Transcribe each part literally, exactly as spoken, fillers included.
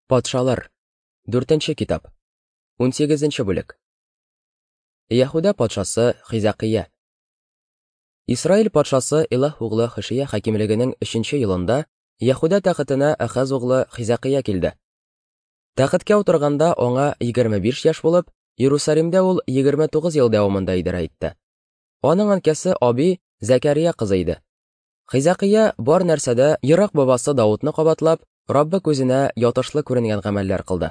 Патшалар. Дүртенче китап. Унсигезенче бүлек. Яһүдә патшасы Хизәкия. Исраил патшасы Илаһ углы Хошия хакимлегенең өченче елында Яһүдә тәхетенә Ахаз углы Хизәкия килде. Тәхеткә утырганда аңа егерме биш яшь булып, Иерусалимдә ул егерме тугыз ел дәвамында идарә итте. Аның әнкәсе Аби Зәкәрия кызы иде. Хизәкия бар нәрсәдә ерак бабасы Даудны кабатлап, Раббы күзенә ятышлы күренгән гамәлләр кылды.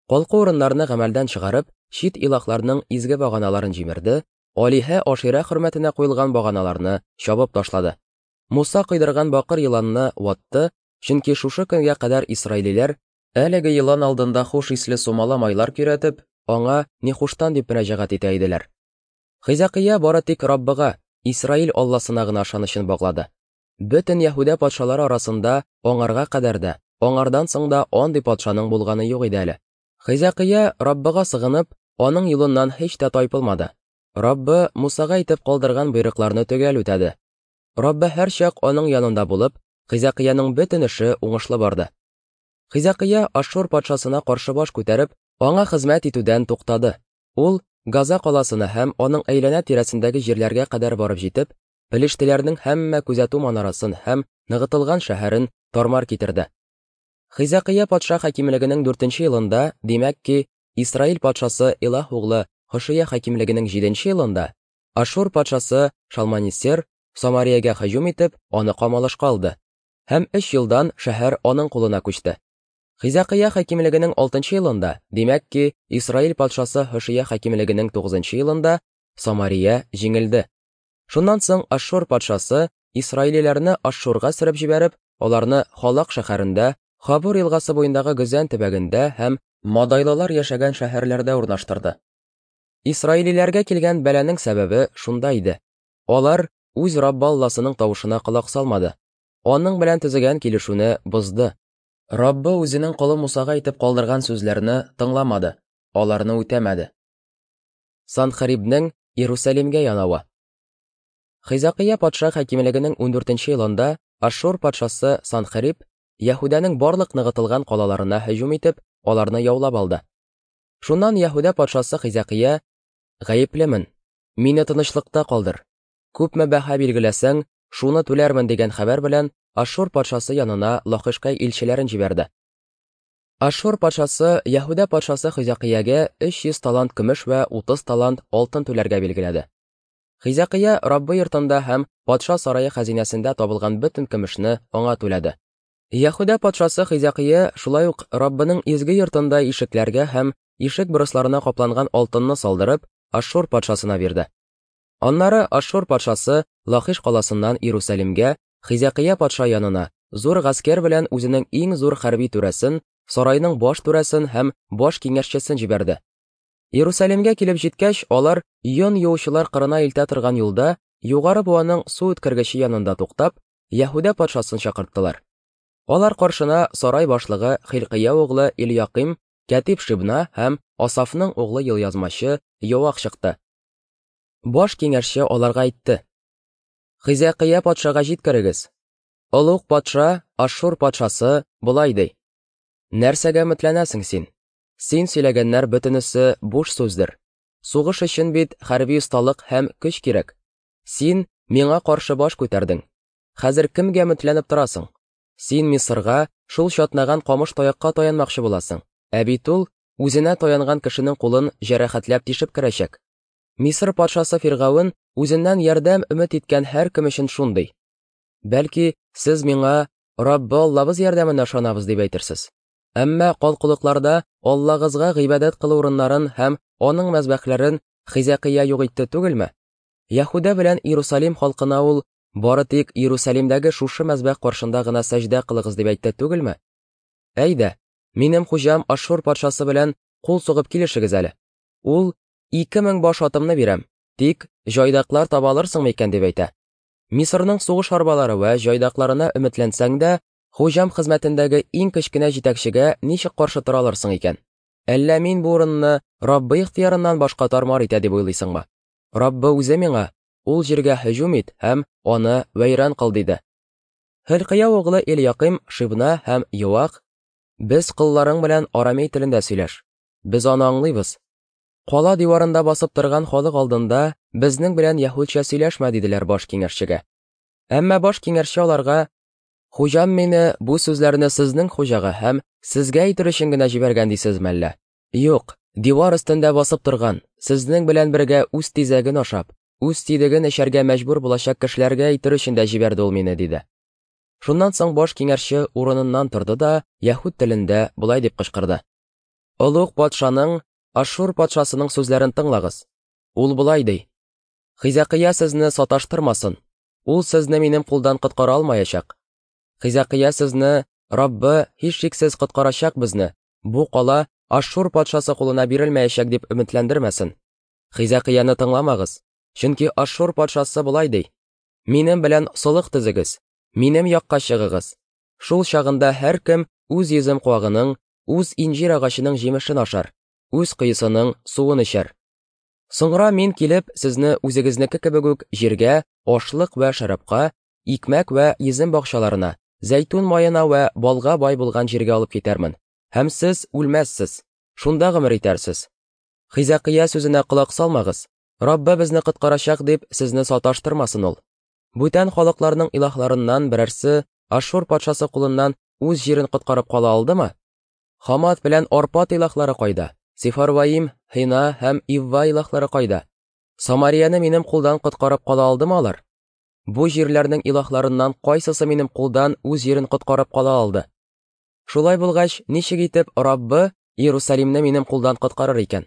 Калку урыннарны гамәлдән чыгарып, чит илаһларның изге баганаларын җимерде, алиһә Ашира хөрмәтенә куелган баганаларны чабып ташлады. Муса кыйдырган бакыр еланны ватты, чөнки шушы көнгә кадәр исраилиләр әлеге елан алдында хуш исле сумала майлар көйрәтеп, аңа Нехуштан дип мөрәҗәгать итә иделәр. Хизәкия бары тик Раббыга, Исраил Алласына гына ышанычын баглады. Бөтен Яһүдә патшалары арасында аңарга кадәр дә, аңардан соң да андый патшаның булганы юк иде әле. Хизәкия Раббыга сыгынып, аның юлыннан һич тә тайпылмады. Раббы Мусага әйтеп калдырган боерыкларны төгәл үтәде. Раббы һәрчак аның янында булып, Хизәкияның бөтен эше уңышлы барды. Хизәкия Ашшур патшасына каршы баш күтәреп, аңа хезмәт итүдән туктады. Ул Газа каласына һәм аның әйләнә тирәсендәге җирләргә кадәр барып җитеп, пелештеләрнең һәммә күзәтү манарасын һәм ныгытылган шәһәрен тармар китерде. Хизәкия патша хакимлегенең дүртенче елында, димәк ки, Исраил патшасы Илаһ углы Хошия хакимлегенең җиденче елында, Ашшур патшасы Шалманисер Самариягә һөҗүм итеп, аны камалышка алды. Һәм өч елдан шәһәр аның кулына күчте. Хизәкия хакимлегенең алтынчы елында, димәк ки, Исраил патшасы Хошия хакимлегенең тугызынчы елында Самария җиңелде. Шуннан соң Ашшур патшасы исраилиләрне Ашшурга сөреп җибәреп, аларны Халак шәһәрендә, Хабур елгасы буендагы Гөзән төбәгендә һәм Мадайлылар яшәгән шәһәрләрдә урнаштырды. Исраилиләргә килгән бәланең сәбәбе шунда иде. Алар үз Раббы Алласының тавышына колак салмады. Аның белән төзегән килешүне бозды. Раббы үзенең колы Мусага әйтеп калдырган сүзләрне тыңламады, аларны үтәмәде. Санхерибнең Иерусалимгә янавы. Хизәкия патша хакимлегенең ундүртенче елында Ашшур патшасы Санхериб Яһүдәнең барлык ныгытылган калаларына һөҗүм итеп, аларны яулап алды. Шуннан Яһүдә патшасы Хизәкия: "Гаеплемен, мине тынычлыкта калдыр. Күпме бәһа билгеләсәң, шуны түләрмен" дигән хәбәр белән Ашшур патшасы янына Лахишка илчеләрен җибәрде. Ашшур патшасы Яһүдә патшасы Хизәкиягә өч йөз талант көмеш вә утыз талант алтын түләргә билгеләде. Хизәкия Раббы йортында һәм патша сарае хәзинәсендә табылган бөтен көмешне аңа түләде. Яһүдә патшасы Хизәкия шулай ук Раббының изге йортында ишекләргә һәм ишек борысларына капланган алтынны салдырып, Ашшур патшасына бирде. Аннары Ашшур патшасы Лахиш каласыннан Иерусалимгә Хизәкия патша янына зур гаскәр белән үзенең иң зур хәрби түрәсен, сарайның баш түрәсен һәм баш киңәшчесен җибәрде. Иерусалимгә килеп җиткәч, алар йон юучылар кырына илтә торган юлда югары буаның су үткәргече янында туктап, Яһүдә патшасын чакырттылар. Алар каршына сарай башлыгы Хилкия углы Ильяким, кәтиб Шибна һәм Асафның углы елъязмачы Йоах чыкты. Баш киңәшче аларга әйтте: "Хизәкия патшага җиткерегез. Олуг патша Ашшур патшасы болай ди: Нәрсәгә өметләнәсең син? Син сөйләгәннәр бөтенесе буш сүздер. Сугыш өчен бит хәрби осталык һәм көч кирәк. Син миңа каршы баш күтәрдең. Хәзер кемгә өметләнеп торасың? Син Мисырга, шул чатнаган камыш таякка таянмакчы буласың. Ә бит ул үзенә таянган кешенең кулын җәрәхәтләп тишеп керәчәк. Мисыр патшасы Фиргавен үзеннән ярдәм өмет иткән һәр кем өчен шундый. Бәлки, сез миңа Раббы Аллабыз ярдәменә ышанабыз дип әйтерсез. Әмма калкулыкларда Аллагызга гыйбадәт кылу урыннарын һәм аның мәзбәхләрен Хизәкия юк итте түгелме? Яһүдә белән Иерусалим халкына ул бары тик Иерусалимдәге шушы мәзбәх каршында гына сәҗдә кылыгыз дип әйтте түгелме? Әйдә, минем хуҗам Ашшур патшасы белән кул сугып килешегез әле. Ул ике мең баш атымны бирәм, тик җайдаклар таба алырсыңмы икән дип әйтә. Мисырның сугыш арбалары вә җайдакларына өметләнсәң дә, хуҗам хезмәтендәге иң кечкенә җитәкчегә ничек каршы тора алырсың икән? Әллә мин бу урынны Раббы ихтыярыннан башка тармар итә дип уйлыйсыңмы? Раббы үзе миңа: ул җиргә һөҗүм ит һәм аны вәйран кыл диде. Хилкия углы Ильяким, Шибна һәм Йоах Без колларың белән арамей телендә сөйләш. Без аны аңлыйбыз. Кала диварында басып торган халык алдында безнең белән яһүдчә сөйләшмә, диделәр баш киңәшчегә. Әмма баш киңәшче аларга: Хуҗам мине бу сүзләрне сезнең хуҗага һәм сезгә әйтер өчен генә җибәргән дисезме әллә? Юк, дивар өстендә басып торган, сезнең белән бергә үз тизәген ашап, үз сидеген эчәргә мәҗбүр булачак кешеләргә әйтер өчен дә җибәрде ул мине, диде. Шуннан соң баш киңәшче урыныннан торды да яһүд телендә болай дип кычкырды: Олуг патшаның, Ашшур патшасының сүзләрен тыңлагыз. Ул болай ди: Хизәкыя сезне саташтырмасын. Ул сезне минем кулдан коткара алмаячак. Хизәкыя сезне Раббы һичшиксез коткарачак безне. Бу кала Ашшур патшасы кулына бирелмәячәк дип өметләндермәсен. Хизәкыяны тыңламагыз, чөнки Ашшур патшасы болай ди: Минем белән солых төзегез, минем якка чыгыгыз. Шул чагында һәркем үз йөзем куагының, үз инҗир агачының җимешен ашар, үз коесының суын эчәр. Соңра мин килеп сезне үзегезнеке кебек үк җиргә, ашлык вә шәрабка, икмәк вә йөзем бакчаларына, зәйтүн маена вә балга бай булган җиргә алып китәрмен. Һәм сез үлмәссез, шунда гомер итәрсез. Хизәкыя сүзенә колак салмагыз. Раббы безне коткарачак дип сезне саташтырмасын ул. Бүтән халыкларның илаһларыннан берәрсе Ашшур патшасы кулыннан үз җирен коткарып кала алдымы? Хамат белән Арпат илаһлары кайда? Сефарваим, Хина һәм Ивва илаһлары кайда? Самарияне минем кулдан коткарып кала алдымы алар? Бу җирләрнең илаһларыннан кайсысы минем кулдан үз җирен коткарып кала алды? Шулай булгач, ничек итеп Раббы Иерусалимны минем кулдан коткарыр икән?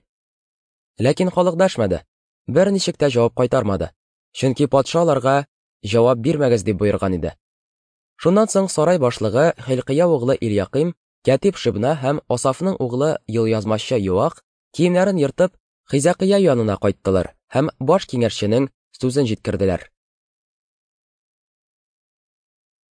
Ләкин халык дәшмәде, берничек тә җавап кайтармады, чөнки патша аларга җавап бирмәгез дип боерган иде. Шуннан соң сарай башлыгы Хилкия углы Ильяким, кәтиб Шибна һәм Асафның углы елъязмачы Юах киемнәрен ертып, Хизәкыя янына кайттылар һәм баш киңәшченең сүзен җиткерделәр.